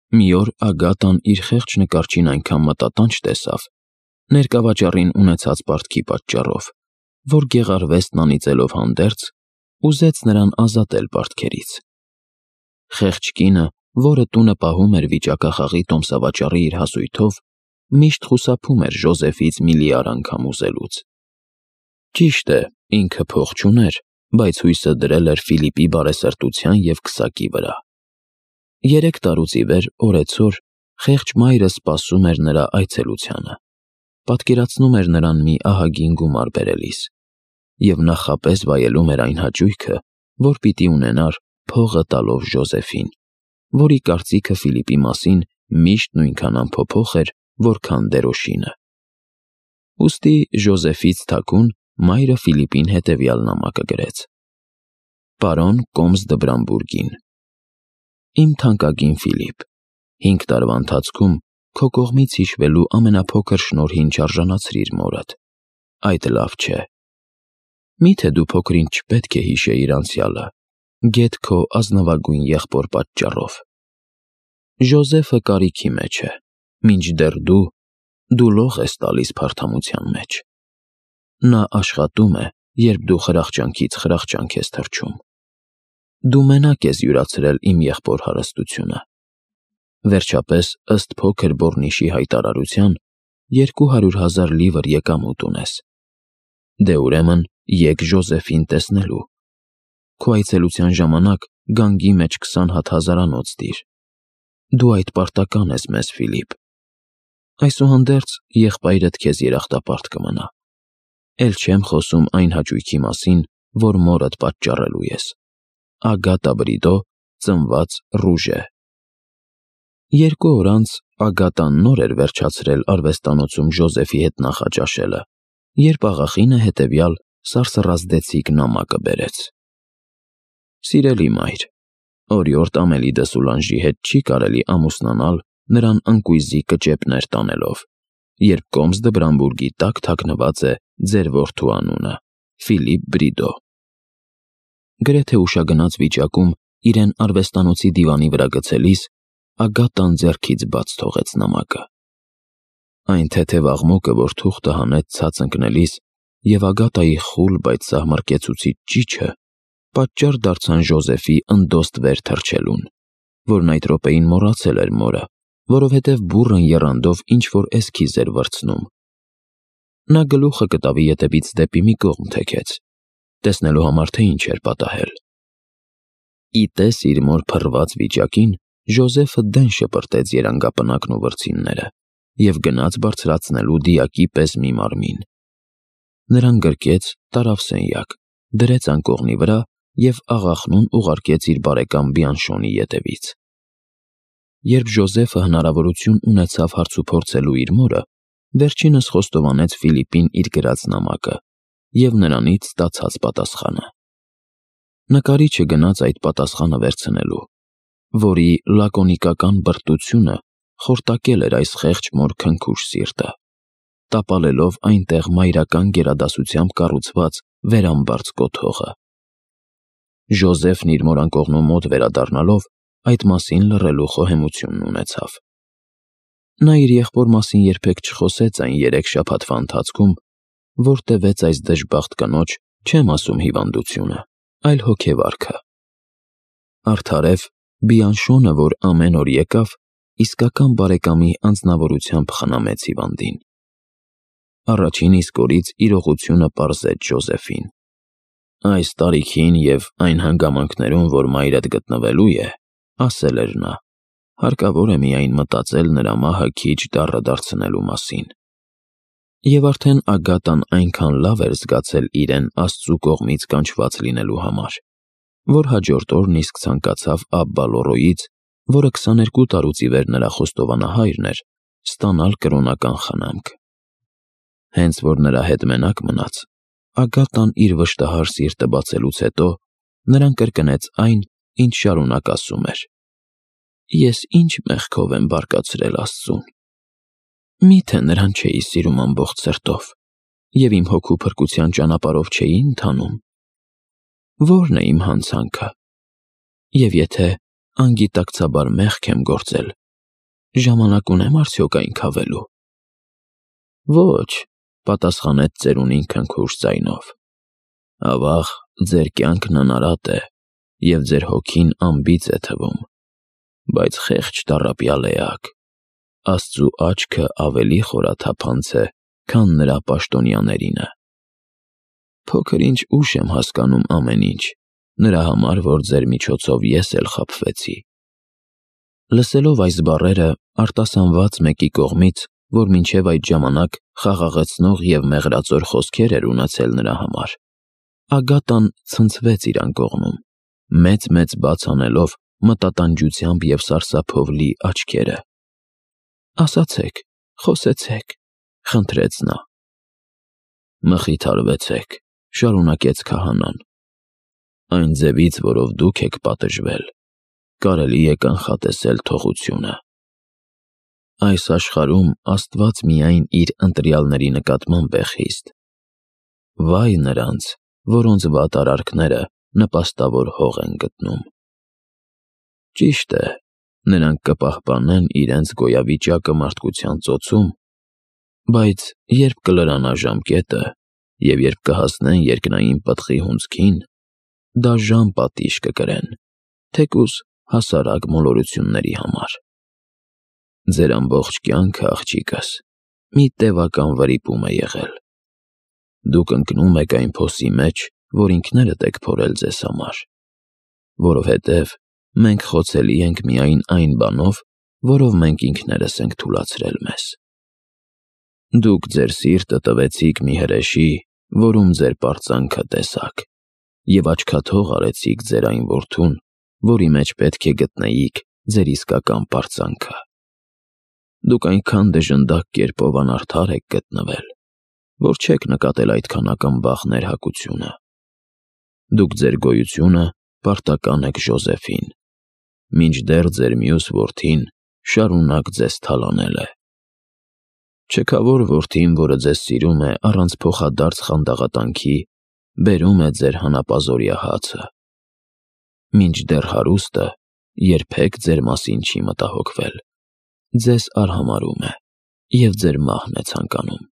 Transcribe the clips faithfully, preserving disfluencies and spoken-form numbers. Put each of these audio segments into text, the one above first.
Մի օր Ագատան իր խեղճ նկարչին այնքան մտատանջ տեսավ, ներկավաճառին ունեցած պարտքի պատճառով, որ գեղարվեստն անիծելով հանդերձ, ուզեց նրան ազատել պարտքերից։ Խեղճ կինը, որը տունը պահում էր վիճակախաղի տոմսավաճառի իր հասույթով, միշտ խուսափում էր Ժոզեֆից միլիարդ անգամ ուզելուց։ Ճիշտ է, ինքը փող չուներ, բայց հույսը դրել էր Ֆիլիպի բարեսրտության և քսակի վրա։ Երեք տարուց ի վեր օրեցօր խեղճ մայրը սպասում էր նրա այցելությանը, պատկերացնում էր նրան մի ահագին գումար բերելիս և նախապես վայելում էր այն հաճույքը, որ պիտի ունենար փողը տալով Ժոզեֆին, որի կարծիքը Ֆիլիպի մասին միշտ նույնքան անփոփոխ էր, որքան Դերոշինը։ Ուստի Ժոզեֆից թաքուն մայրը Ֆիլիպին հետևյալ նամակը գրեց. Պարոն Կոմս դը Բրամբուրգին, Իմ թանկագին Ֆիլիպ, հինգ տարվա ընթացքում քո կողմից հիշվելու ամենափոքր շնորհին չարժանացրիր մորդ։ Այդ լավ չէ։ Միթե դու փոքրինչ չպետք է հիշեիր անցյալը, գեթ քո ազնվագույն եղբոր պատճառով։ Ժոզեֆը կարիքի մեջ է, մինչդեռ դու, դու լող ես տալիս փարթամության մեջ։ Նա աշխատում է, երբ դու խրախճանքից խրախճանք ես թռչում։ Դու մենակ ես յուրացրել իմ եղբոր հարստությունը։ Վերջապես, ըստ փոքր բոռնիշի հայտարարության, երկու հարյուր հազար լիվր եկամուտ ունես։ Դե ուրեմն եկ Ժոզեֆին տեսնելու։ Քո այցելության ժամանակ գանգի մեջ քսան հատ հազարանոց դիր։ Դու այդ պարտական ես մեզ, Ֆիլիպ։ Այսուհանդերձ եղբայրդ քեզ երախտապարտ կմնա։ Էլ չեմ խոսում այն հաճույքի մասին, որ մորդ պատճառելու ես։ Ագատա Բրիդո, ծնված Ռուժե։ Երկու օր անց Ագատան նոր էր վերջացրել արվեստանոցում Ժոզեֆի հետ նախաճաշելը, երբ աղախինը հետևյալ սարսռազդեցիկ նամակը բերեց. Սիրելի մայր, օրիորդ Ամելի դը Սուլանժի հետ չի կարելի ամուսնանալ նրան ընկույզի կճեպներ տանելով, երբ Կոմս դը Բրամբուրգի տակ թաքնված է ձեր որդու անունը, Ֆիլիպ Բրիդո։ Գրեթե ուշագնաց վիճակում իրեն արվեստանոցի դիվանի վրա գցելիս Ագատան ձեռքից բաց թողեց նամակը։ Այն թեթև աղմուկը, որ թուղթը հանեց ցած ընկնելիս, և Ագատայի խուլ, բայց սահմռկեցուցիչ ճիչը պատճառ դարձան Ժոզեֆի ընդոստ վեր թռչելուն, որն այդ րոպեին մոռացել էր մորը, որովհետև բուռն եռանդով ինչ-որ էսքիզ էր վրձնում։ Նա գլուխը կտավի ետևից դեպի մի կողմ թեքեց, տեսնելու համար, թե ինչ էր պատահել։ Ի տես իր մոր փռված վիճակին, Ժոզեֆը դեն շպրտեց երանգապնակն ու վրձինները և գնաց բարձրացնելու դիակի պես մի մարմին։ Նրան գրկեց, տարավ սենյակ, դրեց անկողնի վրա և աղախնուն ուղարկեց իր բարեկամ Բիանշոնի ետևից։ Երբ Ժոզեֆը հնարավորություն ունեցավ հարցուփորձելու իր մորը, վերջինս խոստովանեց Ֆիլիպին իր գրած նամակը և նրանից ստացած պատասխանը։ Նկարիչը գնաց այդ պատասխանը վերցնելու, որի լակոնիկական բրտությունը խորտակել էր այս խեղճ մոր քնքուշ սիրտը, տապալելով այնտեղ մայրական գերադասությամբ կառուցված վերամբարձ կոթողը։ Ժոզեֆն իր մոր անկողնու մոտ վերադառնալով, այդ մասին լռելու խոհեմությունն ունեցավ։ Նա իր եղբոր մասին երբեք չխոսեց այն երեք շաբաթվա ընթացքում, որ տևեց այս դժբախտ կնոջ, չեմ ասում հիվանդությունը, այլ հոգեվարքը։ Արդարև, Բիանշոնը, որ ամեն օր եկավ, իսկական բարեկամի անձնավորությամբ խնամեց հիվանդին։ Առաջին իսկ օրից իրողությունը պարզեց Ժոզեֆին։ Այս տարիքին և այն հանգամանքներում, որ մայրդ գտնվելու է, ասել էր նա, հարկավոր է միայն մտածել նրա մահը քիչ դառը դարձնելու մասին։ Եվ արդեն Ագատան այնքան լավ էր զգացել իրեն Աստծու կողմից կանչված լինելու համար, որ հաջորդ օրն իսկ ցանկացավ Աբբա Լորոյից, որը քսաներկու տարուց ի վեր նրա խոստովանահայրն էր, ստանալ կրոնական խնամք։ Հենց որ նրա հետ մենակ մնաց, Ագատան իր վշտահար սիրտը բացելուց հետո նրան կրկնեց այն, ինչ շարունակ ասում էր. Ես ինչ մեղքով եմ բարկացրել Աստծուն։ Միթե նրան չէի սիրում ամբողջ սրտով և իմ հոգու փրկության ճանապարհով չէի ընթանում։ Ո՞րն է իմ հանցանքը։ Եվ եթե անգիտակցաբար մեղք եմ գործել, Ժամանակ ունեմ արդյոք այն քավելու։ Ոչ, պատասխանեց ծերունին քնքուշ ձայնով։ Ավաղ, ձեր կյանքն անարատ է, և ձեր հոգին անբիծ է թվում, բայց խեղճ տառապյալ էակ, Աստծու աչքը ավելի խորաթափանց է, քան նրա պաշտոնյաներինը։ Փոքր ինչ ուշ եմ հասկանում ամեն ինչ, նրա համար, որ ձեր միջոցով ես էլ խաբվեցի։ Լսելով այս բառերը, արտասանված մեկի կողմից, որ մինչև այդ ժամանակ խաղաղեցնող և մեղրածոր խոսքեր էր ունեցել նրա համար, Ագատան ցնցվեց իր անկողնում, մեծ-մեծ բաց անելով մտատանջությամբ և սարսափով լի աչքերը։ Ասացեք, խոսեցեք, խնդրեց նա։ Մխիթարվեցեք, շարունակեց քահանան։ Այն ձևից, որով դուք եք պատժվել, կարելի է կանխատեսել թողությունը։ Այս աշխարհում Աստված միայն իր ընտրյալների նկատմամբ է խիստ։ Վայ նրանց, որոնց վատ արարքները նպաստավոր հող են գտնում։ Ճիշտ է, նրանք կպահպանեն իրենց գոյավիճակը մարդկության ծոցում, բայց երբ կլրանա ժամկետը և երբ կհասնեն երկնային պտղի հունձքին, դաժան պատիժ կկրեն, թեկուզ հասարակ մոլորությունների համար։ Ձեր ամբողջ կյանքը, աղջիկս, մի տևական վրիպում է եղել։ Դուք ընկնում եք այն փոսի մեջ, որ ինքներդ եք փորել ձեզ համար, որովհետև մենք խոցելի ենք միայն այն բանով, որով մենք ինքներս ենք թուլացրել մեզ։ Դուք ձեր սիրտը տվեցիք մի հրեշի, որում ձեր պարծանքը տեսաք, և աչքաթող արեցիք ձեր այն որդուն, որի մեջ պետք է գտնեիք ձեր իսկական պարծանքը։ Դուք այնքան դժնդակ կերպով անարդար եք գտնվել, որ չեք նկատել այդքան ակնբախ ներհակությունը։ Դուք ձեր գոյությունը պարտական եք Ժոզեֆին, մինչդեռ ձեր մյուս որդին շարունակ ձեզ թալանել է։ Չքավոր որդին, որը ձեզ սիրում է առանց փոխադարձ խանդաղատանքի, բերում է ձեր հանապազօրյա հացը։ Մինչդեռ հարուստը երբեք ձեր մասին չի մտահոգվել, ձեզ արհամարհում է և ձեր մահն է ցանկանում։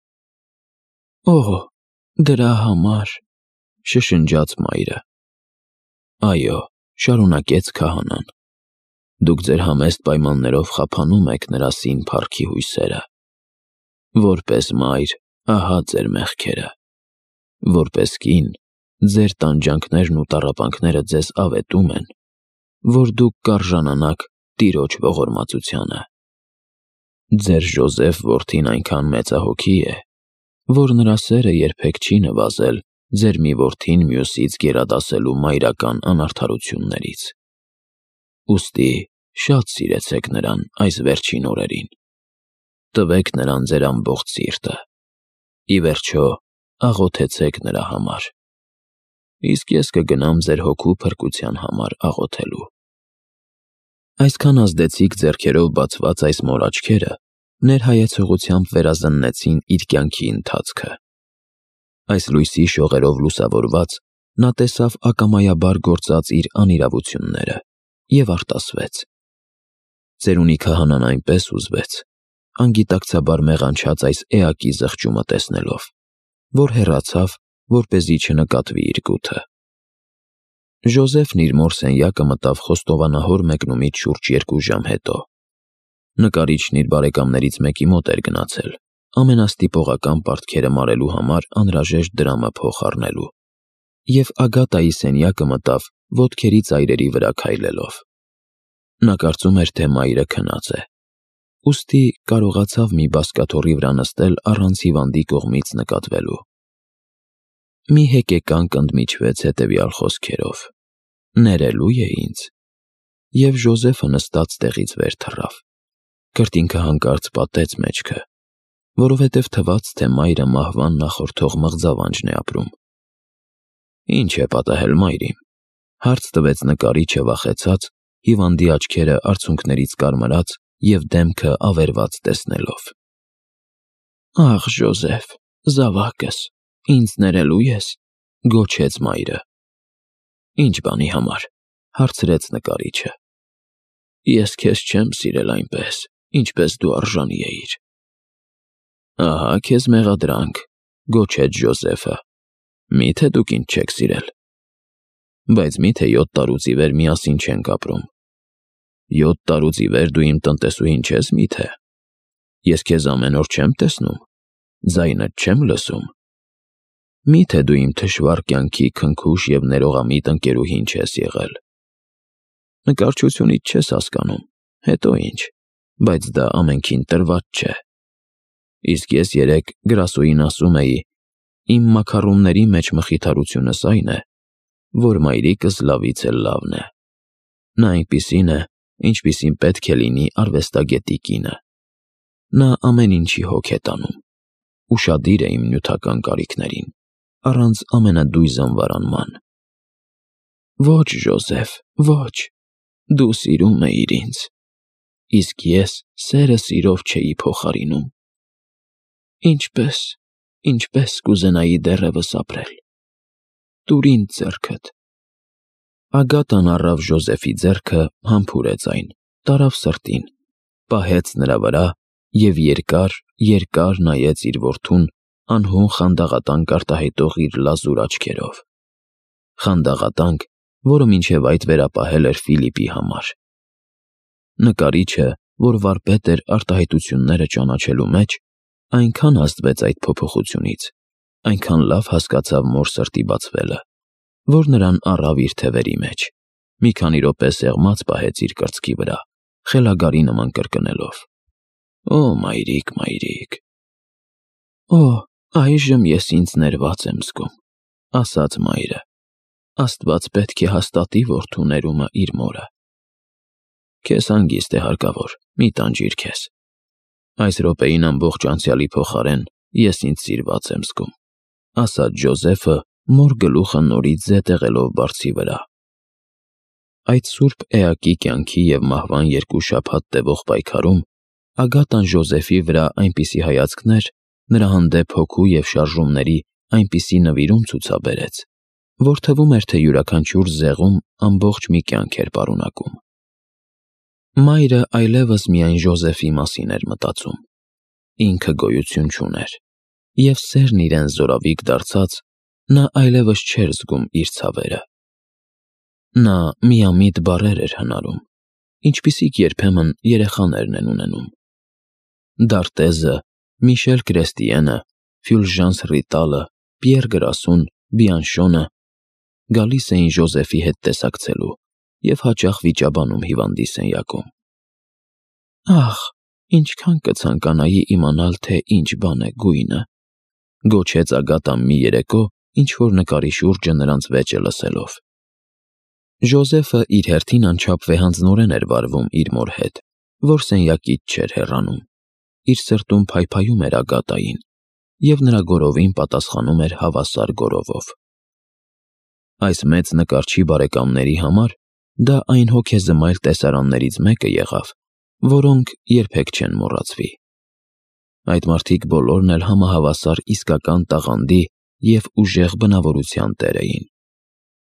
Օհ, դրա համար, շշնջաց մայրը։ Այո, շարունակեց քահանան, դուք ձեր համեստ պայմաններով խափանում եք նրա սին փառքի հույսերը։ Որպես մայր, ահա ձեր մեղքերը։ Որպես կին, ձեր տանջանքներն ու տառապանքները ձեզ ավետում են, որ դուք կարժանանաք տիրոջ ողորմածությանը։ Ձեր Ժոզեֆ որդին այնքան մեծահոգի է, որ նրա սերը երբեք չի նվազել ձեր մի որդին մյուսից գերադասելու մայրական անարդարություններից։ Ուստի շատ սիրեցեք նրան այս վերջին օրերին։ Տվեք նրան ձեր ամբողջ սիրտը։ Ի վերջո, աղոթեցեք նրա համար։ Իսկ ես կգնամ ձեր հոգու փրկության համար աղոթելու։ Այսքան ազդեցիկ ձեռքերով բացված այս մոր աչքերը ներհայեցողությամբ վերազննեցին իր կյանքի ընթացքը։ Այս լույսի շողերով լուսավորված, նա տեսավ ակամայաբար գործած իր անիրավությունները և արտասվեց։ Ծերունի քահանան այնպես հուզվեց, անգիտակցաբար մեղանչած այս էակի զղջումը տեսնելով, որ հեռացավ, որպեսզի չնկատվի իր գութը։ Ժոզեֆն իր մոր սենյակը մտավ խոստովանահոր մեկնումից շուրջ երկու ժամ հետո։ Նկարիչն իր բարեկամներից մեկի մոտ էր գնացել, ամենաստիպողական պարտքերը մարելու համար անհրաժեշտ դրամը փոխառնելու, և Ագատայի սենյակը մտավ ոտքերի ծայրերի վրա քայլելով։ Նա կարծում էր, թե մայրը քնած է, ուստի կարողացավ մի բազկաթոռի վրա նստել առանց հիվանդի կողմից նկատվելու։ Մի հեկեկանք ընդմիջվեց հետևյալ խոսքերով. «Ներելու է ինձ», և Ժոզեֆը նստած տեղից վեր թռավ։ Քրտինքը հանկարծ պատեց մեջքը, որովհետև թվաց, թե մայրը մահվան նախորդող մղձավանջն է ապրում։ «Ինչ է պատահել, մայրիմ», հարց տվեց նկարիչը վախեցած, հիվանդի աչքերը արցունքներից կարմրած և դեմքը ավերված տեսնելով։ «Ախ, Ժոզեֆ, զավակս, ինձ ներելու ես», գոչեց մայրը։ «Ինչ բանի համար», հարցրեց նկարիչը։ «Ես քեզ չեմ սիրել այնպես, ինչպես դու արժանի էիր։ Ահա քեզ մեղադրանք, գոչեց Ջոզեֆը։ Միթե դուք ինձ չեք սիրել։ Բայց միթե յոթ տարուց ի վեր միասին չենք ապրում։ Յոթ տարուց ի վեր դու իմ տնտեսուհին չես միթե։ Ես քեզ ամեն օր չեմ տեսնում, ձայնդ չեմ լսում։ Միթե դու իմ թշվառ կյանքի քնքուշ և ներողամիտ ընկերուհին չես եղել։ Նկարչությունից չես հասկանում, հետո ինչ, բայց դա ամենքին տրված չէ։ Իսկ ես երեկ գրասոյին ասում էի, իմ մաքառումների մեջ մխիթարությունս այն է, որ մայրիկս լավից էլ լավն է։ Նա այնպիսին է, ինչպիսին պետք է լինի արվեստագետի կինը։ Նա ամեն ինչի հոգ է տանում, ուշադիր է իմ նյութական կարիքներին, առանց ամենադույզ անվարանման։ Ոչ, Ջոզեֆ, ոչ, դու սիրում էիր ինձ, իսկ ես սերը սիրով չէի փոխարինում։ Ինչպես, ինչպես կուզենայի դեռևս ապրել։ Տուր ինձ ձեռքդ։ Ագատան առավ Ջոզեֆի ձեռքը, համբուրեց այն, տարավ սրտին, պահեց նրա վրա և երկար, երկար նայեց իր որդուն անհուն խանդաղատանք արտահայտող իր լազուր աչքերով։ Խանդաղատանք, որը մինչև այդ վերապահել էր Ֆիլիպի համար։ Նկարիչը, որ վարպետ էր արտահայտությունները ճանաչելու մեջ, այնքան ազդվեց այդ փոփոխությունից, այնքան լավ հասկացավ մոր սրտի բացվելը, որ նրան առավ իր թևերի մեջ, մի քանի րոպե սեղմած պահեց իր կրծքի վրա, խելագարի նման կրկնելով. Օ, մայրիկ, մայրիկ։ Օ, այժմ ես ինձ ներված եմ զգում, ասաց մայրը։ Աստված պետք է հաստատի որդու ներումը իր մորը։ Քեզ հանգիստ է հարկավոր, մի տանջիր քեզ։ Այս րոպեին ամբողջ անցյալի փոխարեն ես ինձ սիրված եմ զգում, ասաց Ջոզեֆը, մոր գլուխը նորից զետեղելով բարձի վրա։ Այդ սուրբ էակի կյանքի և մահվան երկու շաբաթ տևող պայքարում Ագատան Ջոզեֆի վրա այնպիսի հայացքներ, նրա հանդեպ հոգու և շարժումների այնպիսի նվիրում ցուցաբերեց, որ թվում էր, թե յուրաքանչյուր զեղում ամբողջ մի կյանք էր պարունակում։ Մայրը այլևս միայն Ջոզեֆի մասին էր մտածում։ Ինքը գոյություն չուներ, և սերն իրեն զորավիք դարձած, նա այլևս չէր զգում իր ցավերը։ Նա միամիտ բառեր էր հնարում, ինչպիսիք երբեմն երեխաներն են ունենում։ Դարտեզը, Միշել Կրեստիենը, Ֆյուլժանս Ռիտալը, Պիեր Գրասուն, Բիանշոնը գալիս էին Ջոզեֆի հետ տեսակցելու և հաճախ վիճաբանում հիվանդի սենյակում։ Ախ, ինչքան կցանկանայի իմանալ, թե ինչ բան է գույնը, գոչեց Ագատան մի երեկո, ինչ-որ նկարի շուրջը նրանց վեճը լսելով։ Ջոզեֆը իր հերթին անչափ վեհանձնորեն էր վարվում իր մոր հետ, որ սենյակից չէր հեռանում։ Իր սրտում փայփայում էր Ագատային, և նրա գորովին պատասխանում էր հավասար գորովով։ Այս մեծ նկարչի բարեկամների համար դա այն հոգեզմայլ տեսարաններից մեկը եղավ, որոնք երբեք չեն մոռացվի։ Այդ մարդիկ բոլորն էլ համահավասար իսկական տաղանդի և ուժեղ բնավորության տեր էին,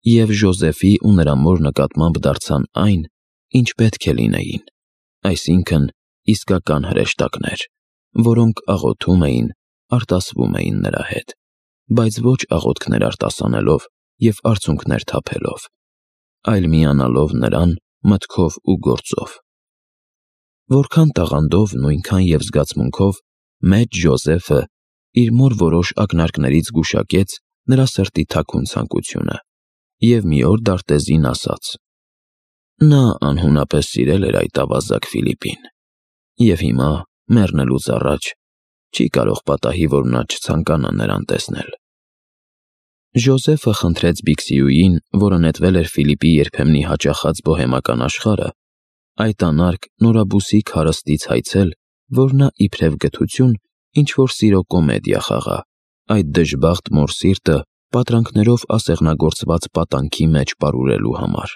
և Ջոզեֆի ու նրա մոր նկատմամբ դարձան այն, ինչ պետք է լինեին, այսինքն իսկական հրեշտակներ, որոնք աղոթում էին, արտասվում էին նրա հետ, բայց ոչ աղոթքներ արտասանելով և արցունքներ թափելով, այլ միանալով նրան մտքով ու գործով։ Որքան տաղանդով, նույնքան և զգացմունքով մեծ Ջոզեֆը իր մոր որոշ ակնարկներից գուշակեց նրա սրտի թաքուն ցանկությունը և մի օր դարտեզին ասաց. Նա անհունապես սիրել էր այդ ավազակ Ֆիլիպին, և հիմա, մեռնելուց առաջ, չի կարող պատահի, որ նա չցանկանա նրան տեսնել։ Ջոզեֆը խնդրեց Բիքսիուին, որը նետվել էր Ֆիլիպի երբեմնի հաճախած բոհեմական աշխարհը, այդ անարգ նորաբուսիկ հարստից հայցել, որ նա իբրև գթություն ինչ-որ սիրո կոմեդիա խաղա, այդ դժբախտ մոր սիրտը պատրանքներով ասեղնագործված պատանքի մեջ պարուրելու համար։